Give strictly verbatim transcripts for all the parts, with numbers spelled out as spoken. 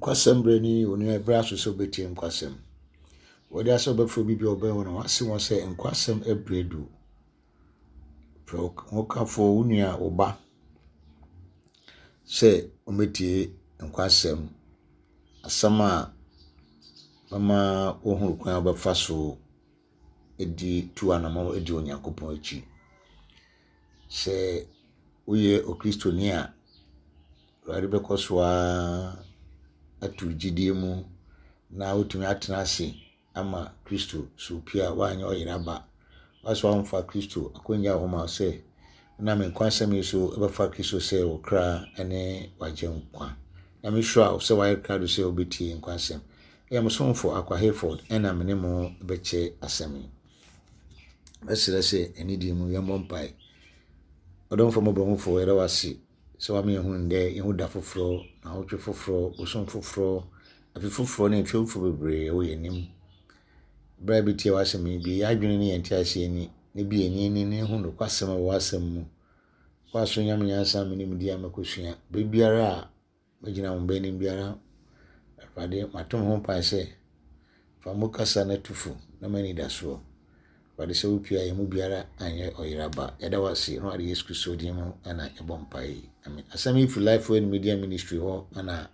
Nkwasɛm berɛ ni, onua ɛberɛ aso sɛ wobɛtie nkwasɛm. Wɔde asɛ wobɛfrɛ obi bi a ɔbɛn wo na wase wɔn sɛ nkwasɛm ɛberɛ du. Frɛ wo kafoɔ, wo nua, wo ba sɛ wɔmmɛtie nkwasɛm. Asɛm a bɛma woahunu kwan a wobɛfa so adi tu anammɔn adi Onyankopɔn akyi. Sɛ woyɛ Okristoni a, Awurade bɛkɔ so ara ato gyidie mu na wotumi atena ase ama Kristo so pie a woanyɛ ɔyera ba. Woasɛ woamfa Kristo akonnwa wɔ hɔ ma wo sɛ nam nkwasɛm yi so wobɛfa Kristo sɛ wo kra ne w'agyenkwa. Na mehyira wo sɛ woayɛ krado sɛ wobɛtie nkwasɛm. Ɛyɛ mo somfo Akwa Hayford ɛna me ne mo bɛkyɛ asɛm yi. Mɛsrɛ sɛ anidie mu yɛmmɔ mpae. Ɔdomfo mmɔborɔhufoɔ, yɛda wo ase sɛ woama yɛhu ndɛ, yɛhu da foforɔ, naawɔtwe foforɔ, bosom foforɔ, afe foforɔ ne mfe foforɔ bebree wɔ yɛn anim. Berɛ a yɛbɛtie w'asɛm yi, bue yɛn adwene ne yɛn nteaseɛ ani, na bue yɛn ani na yɛhu nokwasɛm a ɛwɔ w'asɛm mu. Kɔ so nya me nyansa me nimdeɛ a mɛkɔsua. Berɛ biara a mɛgyina wo mba anim biara, Awurade, mato me ho mpae sɛ fa mo kasa no to fo na ma anidasoɔ. Awurade, sɛ wopie a yɛn mu biara anyɛ ɔyera ba. Yɛda wo ase na wɔde Yesu Kristo din mu ɛna yɛbɔ mpae yi. Amen. Asɛm yi firi Life Word Media Ministry hɔ ɛna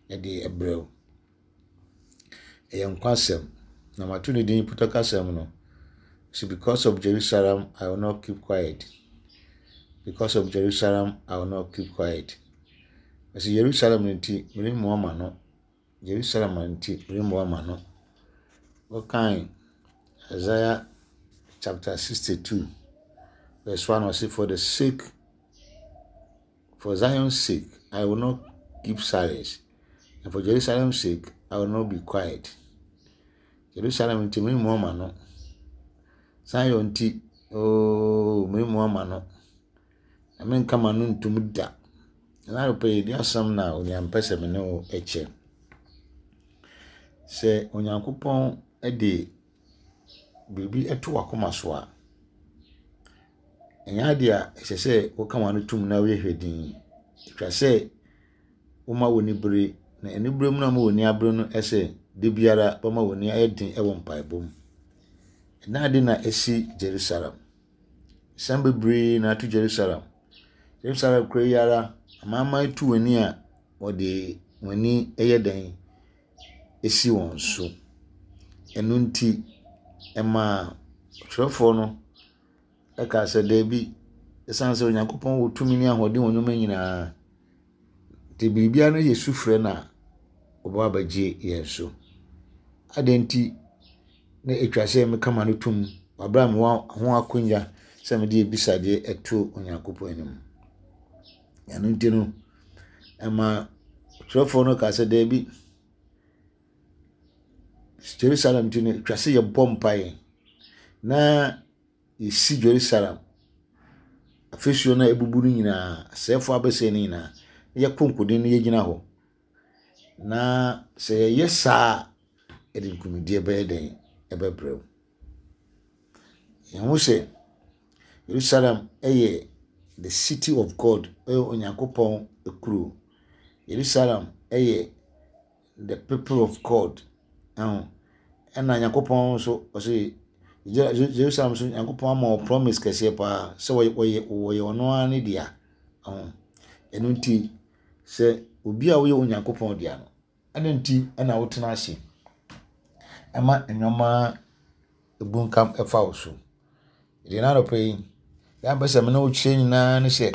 yɛde ɛbrɛ wo. Ɛyɛ nkwasɛm. Na mato ne din pɔtɔkasɛm no. So because of Jerusalem, I will not keep quiet. Because of Jerusalem, I will not keep quiet. Ɛsɛ Jerusalem nti, meremmua m'ano. Jerusalem nti, meremmua m'ano. Wɔkan Isaiah chapter sixty-two, verse one, ɔse, for the sake, for Zion's sake, I will not keep silence, and for Jerusalem's sake, I will not be quiet. Jerusalem nti meremmua m'ano. Zion nti, ooo, meremmua m'ano. Na menka m'ano ntom da. Na anɔpa yi, yɛdi asɛm na onua mpɛ sɛ me ne wo kyɛ. Sɛ Onyankopɔn de biribi to w'akoma so a, ɛnyɛ adeɛ a ɛsɛ sɛ woka w'ano tom na woyɛ hwɛ dinn. Ɛtwa sɛ woma w'ani bere, na anibere mu na ama w'ani abere no sɛ da biara bɛma w'ani ayɛ den wɔ mpaebɔ mu. Ɛna ade na ɛsi Jerusalem. Nsɛm bebree na ato Jerusalem. Jerusalem kuro yi ara, amanaman tu wɔn ani a wɔde wɔn ani yɛ dɛn esi wɔn so. Ɛno nti, ɛmaa ɔtwerɛfoɔ no ɛkaa sɛ daabi, ɛsiane sɛ Onyankopɔn wɔ tumi ne ahoɔden wɔ nneɛma nyinaa, nti biribiara no yɛ sufrɛ no a, ɔbɛba abɛgye yɛn so. Adɛn nti na ɛtwa sɛ meka m'ano tom wɔ abere a mewɔ ho akonnwa sɛ mede abisadeɛ ɛto Onyankopɔn anim. Ɛno nti no, ɛma ɔtwerɛfoɔ no kaa sɛ daabi, Jerusalem nti no, ɛtwa sɛ yɛbɔ mpaeɛ na yɛsi Jerusalem afasuo no a ebubu no nyinaa, asɛefoɔ abɛsɛe no nyinaa, na yɛkɔ nkoden na yɛgyina hɔ. Na sɛ yɛyɛ saa a, ɛde nkonimdie bɛyɛ dɛn ɛbɛbrɛ wo. Yɛhu sɛ Jerusalem yɛ the city of God, ɛyɛ Onyankopɔn kuro. Jerusalem yɛ the people of God. Ɛho ɛna Nyankopɔn nso ɔse Jerusalem nso Nyankopɔn ama wɔ promise kɛseɛ paa sɛ wɔyɛ wɔyɛ wɔyɛ ɔno ara ne dea. Ɛho ɛno nti sɛ obi a woyɛ Onyankopɔn dea no, ɛno nti ɛna wotena ase ɛma nneɛma ebunkam ɛfa wo so. Deɛ n'anɔpa yi, deɛ mpɛ sɛ me ne wo kyerɛ nyinaa ne sɛ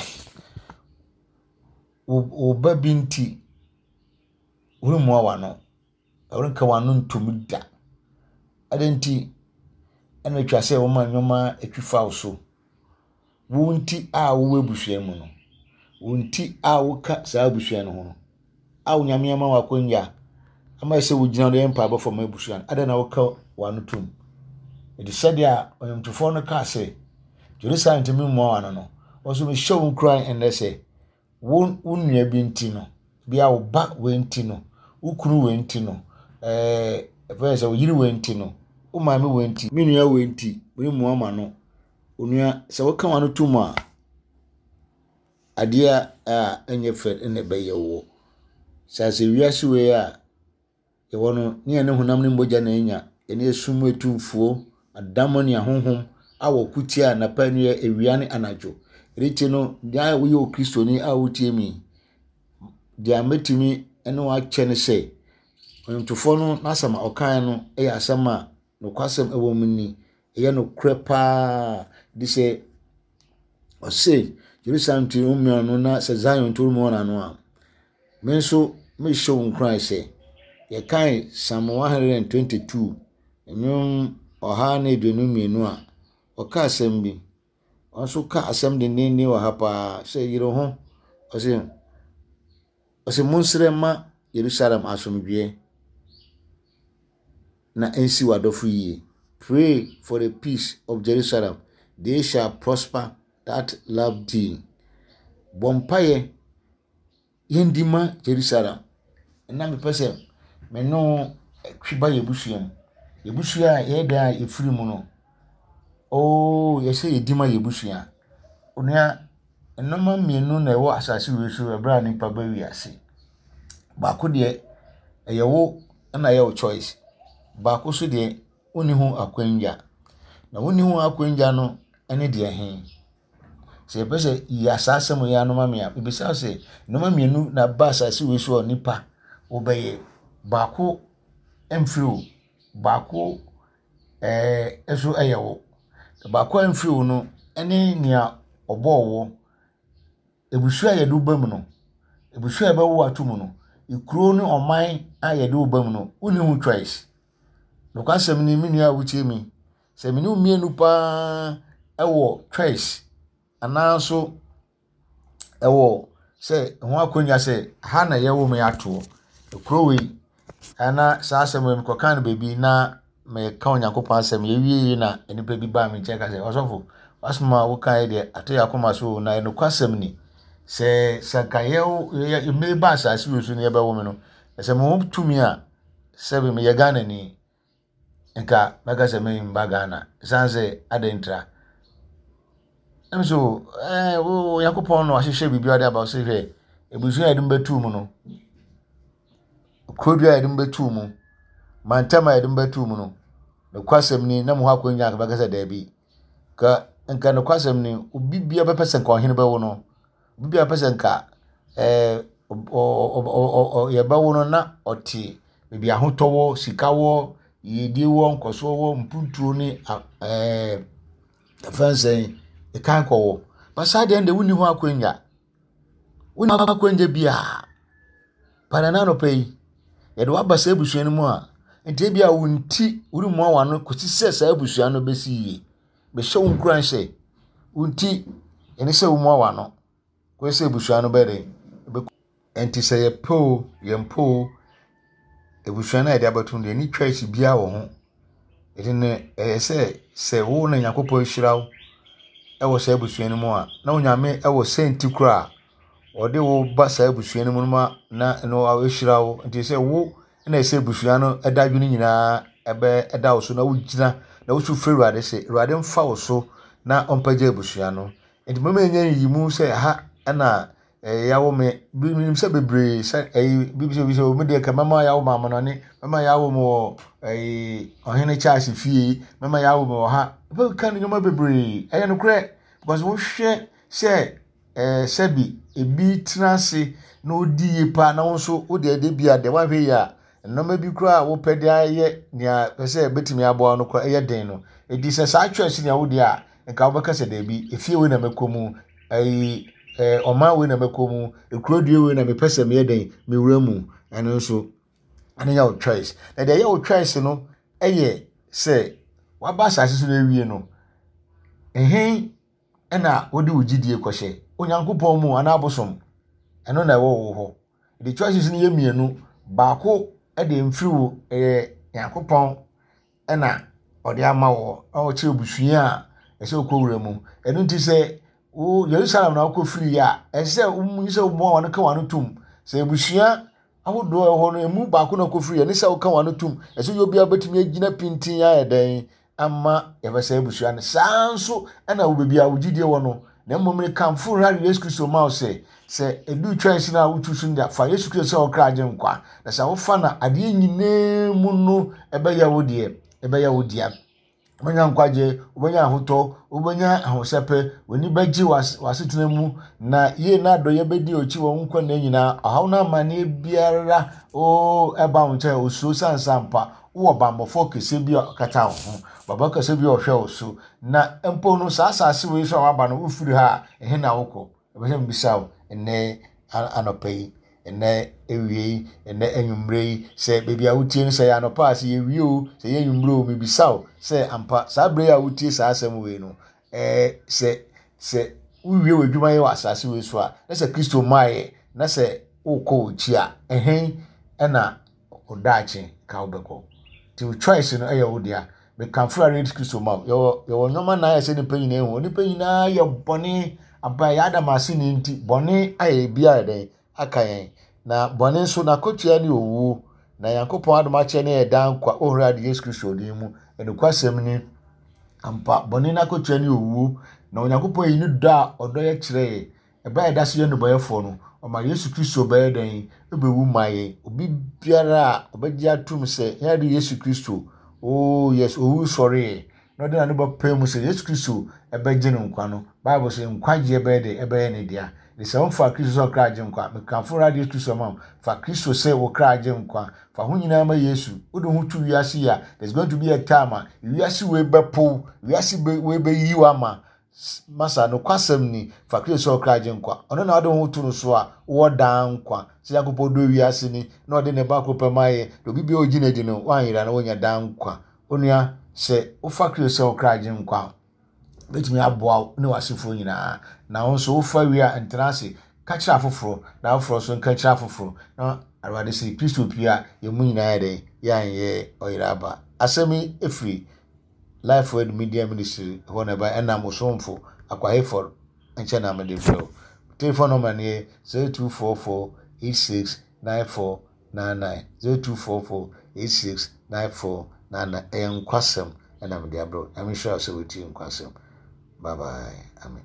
wo wo ba bi nti woremmua w'ano, worenka w'ano ntom da. Adɛn nti ɛna atwa sɛ woma nneɛma atwi fa wo so. Wo nti a wowɔ abusua mu no, wo nti a woka saa abusua no ho no, a Onyame ama wo akonnwa ama sɛ wogyina hɔ de yɛ mpaebɔ fam abusua no, adɛn na woka w'ano tom? Ɛde sɛdeɛ a ɔnwomtofoɔ no kaa sɛ, Jerusalem nti memmua w'ano no, wɔn nso mehyɛ wo nkuran ɛnnɛ sɛ, wo wo nua bi nti no, bia wo ba wei nti no, wo kunu wei nti no, ɛɛ ɛfɛ sɛ wo yere wei nti no, wo maame wei nti, me nua wei nti, meremmua m'ano. Onua, sɛ woka w'ano tom a, adeɛ a ɛnyɛ fɛ na ɛbɛyɛ wo. Sɛ asɛ wiase wei a yɛwɔ no, ne yɛne honam ne mogya na anya, yɛne esum mu atumfoɔ, adammɔ ne ahonhom a wɔko tia anapa ne awia ne anadwo. Ɛno nti no, deɛ a woyɛ Okristoni a wotie mi, deɛ mɛtumi ne wo akyɛ ne sɛ, ɔnwomtofoɔ no n'asɛm a ɔkaeɛ no yɛ asɛm a nokwasɛm wɔ mu ni. Ɛyɛ nokorɛ paa. De sɛ ɔse Jerusalem nti wommia no na sɛ Zion nti wommia no a, me nso mehyɛ wo nkuran sɛ yɛkae Psalm one hundred twenty-two, nnwom ɔha ne aduonu mmienu a, ɔka asɛm bi. Ɔno nso ka asɛm dendenden wɔ ha paa sɛ yere ho. Ɔse ɔse monsrɛ ma Jerusalem asomdwoeɛ na ɛnsi w'adɔfo yie. Pray for the peace of Jerusalem, they shall prosper that love thee. Bɔ mpaeɛ yɛndi ma Jerusalem. Ɛna mepɛ sɛ me ne wo twe ba yɛbusua mu. Yɛbusua a yɛyɛ dan a yɛfiri mu no, oo, yɛsɛ yɛdi ma yɛbusua. Onua, nneɛma mmienu na ɛwɔ asase wei so ɛberɛ a nipa ba wiase. Baako deɛ, ɛyɛ wo na ɛyɛ wo choice. Baako so deɛ, wonni ho akwanya. Na wonni ho akwanya no ne deɛ he? Sɛ yɛpɛ sɛ yi saa asɛm yi ano ma me a, mebisa wo sɛ nneɛma mmienu na ba asase wei so a nipa wobɛyɛ. Baako mfiri wo, baako ɛɛ nso yɛ wo. Baako a mfiri wo no ne nea ɔbɔɔ wo. Abusua a yɛde wo ba mu no, abusua a yɛbɛwo ato mu no, kuro ne ɔman a yɛde wo ba mu no, wonni ho choice. Nokwasɛm ni, me nua a wotie mi, sɛ me ne wo mmienu paa wɔ choice anaa nso ɛwɔ sɛ ho akonnwa sɛ ha na yɛwɔ me atoɔ, kuro wei ana saa asɛm wei mekɔka no baabi na meka Onyankopɔn asɛm yɛwie yi na nnipa bi baa me nkyɛn ka sɛ, "Ɔsɔfo, w'asɛm a wokaeɛ deɛ ato yɛ akoma so, na nokwasɛm ni sɛ sɛ nka yɛ meba asase wei so na yɛbɛwo me no, sɛ mewɔ tumi a, sɛbi meyɛ Ghanani, nka mɛka sɛ memba Ghana." Ɛsiane sɛ adɛn ntira ɛm so ɛɛ Onyankopɔn na wahyehyɛ biribi ade aba sɛ hwɛ, abusua a yɛde mu bɛtuu mu no, kurodua a yɛde mu bɛtuu mu, mantam a yɛde mu bɛtuu mu no, nokwasɛm ni na mo hɔ akonnwa nka bɛka sɛ daabi. Ka nka nokwasɛm ni, obi bia bɛpɛ sɛ nka ɔhene bɛwo no, obi bia bɛpɛ sɛ nka ɛɛ yɛbɛwo no na ɔte baabi ahotɔ wɔ, sika wɔ, yiedie wɔ, nkɔsoɔ wɔ, mpuntuo ne ɛɛ ɛfɛn ɛkan kɔ wɔ. Ba saa deɛ deɛ wonni ho akonnwa, wonni ho akonnwa biara. Panana anɔpa yi yɛde waba saa abusua no mu a, nti ebi a wo nti woremmua w'ano kɔsi sɛ saa abusua no bɛsi yie. Bɛhyɛ wo nkuran sɛ wo nti ɛne sɛ womua w'ano kɔsi sɛ abusua no bɛyɛ dɛn. Nti sɛ yɛpɛ o, yɛmpɛ o, abusua no a yɛde abɛto no deɛ, ni choice biara wɔ ho. Ɛti no ɛyɛ sɛ sɛ wo na Nyankopɔn ahyira wo ɛwɔ saa abusua no mu a, na Onyame ɛwɔ sɛnti koraa ɔde wo ba saa abusua no mu ma na no ahyira wo. Nti sɛ wo na ɛsɛ abusua no ɛda adwene nyinaa ɛbɛ ɛda wo so na wogyina na wosu frɛ Awurade sɛ Awurade mfa wo so na ɔmpagya abusua no. Nti mɛma ɛnyɛ nyiyimu sɛ ha ɛna ɛyɛ yawo me. Binom sɛ bebree sɛ ɛyi bi sɛ bi sɛ omi deɛ ka mɛma yawo ma amanɔne, mɛma yawo mo wɔ ɛyi Ɔhene Charles fie, mɛma yawo mo wɔ ha. Bɛka ne nneɛma bebree ɛyɛ nokorɛ because wohwɛ sɛ ɛɛ sɛbi ebi tena ase na odi yie paa na wo nso wode ɛde bi a deɛ wahwɛ yie a, nneɛma bi koraa a wopɛ de ayɛ nea pɛ sɛ ebetumi aboa no koraa ɛyɛ den no. Edi sɛ saa choice nea wode a, nka wobɛka sɛ daabi, efie wei na mɛkɔ mu, ɛyi ɛɛ ɔman wei na mɛkɔ mu, ekuro dua wei na mepɛ sɛ meyɛ den mewura mu. Ɛno nso ɛno yɛ wo choice. Na deɛ ɛyɛ wo choice no ɛyɛ sɛ waba asase so na ewie no, ɛhɛn ɛna wode wo gyidie kɔhyɛ Onyankopɔn mu anaa abosom, ɛno na ɛwɔ wo hɔ. The choices no yɛ mmienu. Baako ɛde mfiri wo, ɛyɛ Nyankopɔn ɛna ɔde ama wɔ na ɔkyerɛ abusua a ɛsɛ wokɔ wura mu. Ɛno nti sɛ wo Yerusalem na wokɔ firi a, ɛsɛ sɛ womu sɛ woboa wɔn ka wɔn ano tom sɛ abusua ahodoɔ a ɛwɔ hɔ no emu baako na wokɔ firi. Ɛne sɛ woka wɔn ano tom, ɛsɛ yɛ obiara bɛtumi agyina pintin ayɛ dɛn ama yɛbɛsɛ abusua no. Saa nso ɛna wo baabi a wo gyidie wɔ no, na mmom ne kamfo Awurade Yesu Kristo ma wo sɛ Sɛ ɛdu choice no a wotu so no deɛ, fa Yesu Kristo sɛ wo kra agye nkwa. Na sɛ wofa no adeɛ nyinaa mu no, ɛbɛyɛ wo deɛ, ɛbɛyɛ wo dea. Wobɛnya nkwagye, wobɛnya ahotɔ, wobɛnya ahosɛpɛ, w'ani bɛgye w'asetena mu, na yie na adɔeɛ bɛdi akyi wɔ wo nkwa nna nyinaa. Ɔhaw no amanneɛ biara oo ɛba wo nkyɛn, osuro sansa mpa. Wowɔ bammɔfoɔ kɛseɛ bi a ɔkata wo ho, baba kɛseɛ bi a ɔhwɛ wo so. Na mpo no, saa asase wei so a waba no, wofiri ha a, ɛhe na wokɔ? Ɛbɛ sɛ mebisa wo ɛnnɛ anɔpa yi, ɛnnɛ awia yi, ɛnnɛ anwummerɛ yi, sɛ baabi a wotie no sɛ yɛ anɔpa a, sɛ yɛwie o, sɛ yɛ anwummerɛ o, mebisa wo sɛ ampa saa berɛ yi a wotie saa asɛm wei no, ɛɛ sɛ sɛ wowie w'adwuma yɛ wɔ asase wei so a, na sɛ Kristo mmaeɛ, na sɛ wokɔ w'akyi a, ɛhe ɛna wo daakye ka wobɛkɔ? Nti wo choice no ɛyɛ wo dea. Mekamfo Awurade Yesu Kristo ma wo. Yɛwɔ yɛwɔ nneɛma nan a ɛsɛ nipa nyinaa hu. Nipa nyinaa yɛ bɔne aba yɛ Adam aseni nti bɔne ayɛ bi ayɛ dɛn aka yɛn. Na bɔne nso n'akotua ne owuo. Na Nyankopɔn adom akyɛ ne yɛ daa nkwa wɔ Awurade Yesu Kristo din mu. Nokwasɛm ni ampa bɔne n'akotua ne owuo. Na Onyankopɔn yi ne dɔ a ɔdɔ yɛ kyerɛ yɛ. Ɛberɛ a yɛda so yɛ nnebɔneyɛfoɔ no, ɔma Yesu Kristo bɛyɛ dɛn? Ɛbɛwu ma yɛn. Obi biara a ɔbɛgye atom sɛ yɛn Awurade Yesu Kristo, oh yes, owu sɔreeɛ, na ɔde n'ano bɛpae mu sɛ Yesu Kristo ɛbɛgye no nkwa no, Bible sɛ nkwagyeɛ bɛyɛ dɛn? Ɛbɛyɛ ne dea. De sɛ womfa Kristo sɛ ɔkra agye nkwa, mekamfo Awurade Yesu Kristo ma wo. Fa Kristo sɛ wo kra agye nkwa. Fa ho nyinaa ma Yesu. Wode ho to wiase yi a, there's going to be a time a wiase wei bɛpow, wiase wei bɛyi wo ama. Masa nokwasɛm ni, fa Kristo sɛ ɔkra agye nkwa. Ɔno na wode ho to no so a, wowɔ daa nkwa. Sɛ Nyankopɔn dɔ wiase ni, na ɔde ne ba koro pɛ ma yɛ, na obi biara ogye no adi no, wanyera na wonya daa nkwa. Onua, sɛ wofa Kristo sɛ ɔkra agye nkwa a, bɛtumi aboa wo ne w'asefoɔ nyinaa. Na wo nso wofa wie a, ntena ase. Ka kyerɛ afoforɔ, na afoforɔ nso nka kyerɛ afoforɔ. Na Awurade sɛ Kristo pie a, yɛn mu nyinaa yɛ dɛn? Yɛanyɛ ɔyera aba. Asɛm yi ɛfiri Life Word Media Ministry hɔ na ɛba ɛnam osomfo Akwa Hayford nkyɛn na mede brɛ wo. Telephone number no yɛ zero two four four eight six nine four nine nine zero two four four eight six nine four nine nine. Ɛyɛ nkwasɛm ɛna mede abrɛ wo. Nyame nhyira wo sɛ wotie nkwasɛm. Bye bye. Amen.